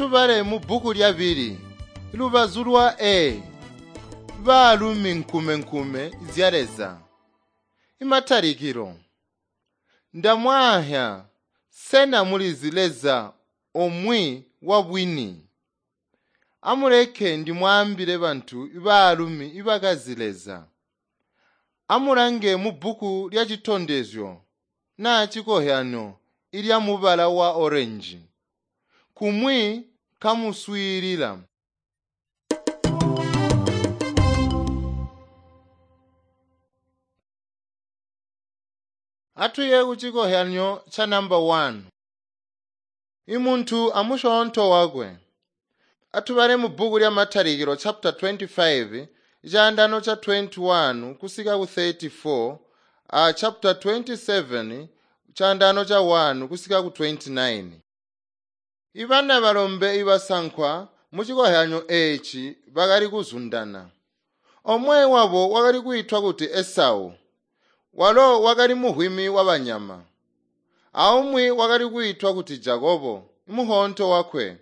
Atubale mubbuku lyabili, lubazu lwa A. Baalumi nkumenkume zya Leza. Imatalikilo. Ndamwaahya, sena mulizi Leza omwe wa bwini? Amuleke ndimwaambile bantu baalumi ibakazi Leza. Amulange mubbuku lya citondezyo naa cikohyano ilya mubala wa orange. Kumwi kamuswiilila. Atuye ku cikohyanyo cha namba 1. Imuntu amusyoonto wakwe. Atubale mu bbuku lya Matalikilo chapter 25 chaandano cha 21 kusika ku 34 a chapter 27 chaandano cha 1 kusika ku 29. Ibana balombe ibasankwa mu cikohyanyo eeci bakali kuzundana. Omwe wabo wakali kwiitwa kuti Esau. Walo wakali muhwimi wabanyama. Aumwi wakali kwiitwa kuti Jakobo, muhonto wakwe.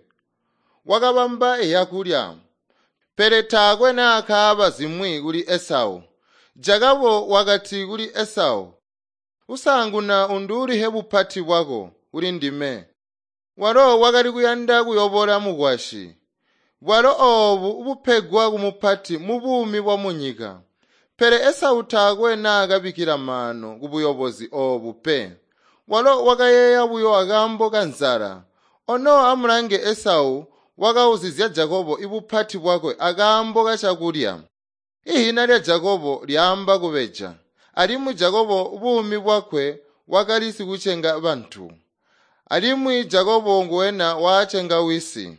Wakabamba iyakulya, pele taakwe naakaaba zimwi kuli Esau. Jakobo wakati kuli Esau, "Usanguna unduulihe bupati bwako kuli ndime." Walo wakali kuyanda kuyobola mukwasyi. Bwalo oobu bupegwa kumupati mu buumi bwa munyika. Pele Esau taakwe naakabikkila maano kubuyobozi oobu pe. Walo wakayeeya buyo akaambo kanzala. Ono amulange Esau wakauzizya Jakobo ibupati bwakwe akaambo kacakulya. Ihina lya Jakobo lyaamba kubeja, alimwi Jakobo buumi bwakwe wakali sikucenga bantu. Alimwi Jakobo nguwena waacenga wisi.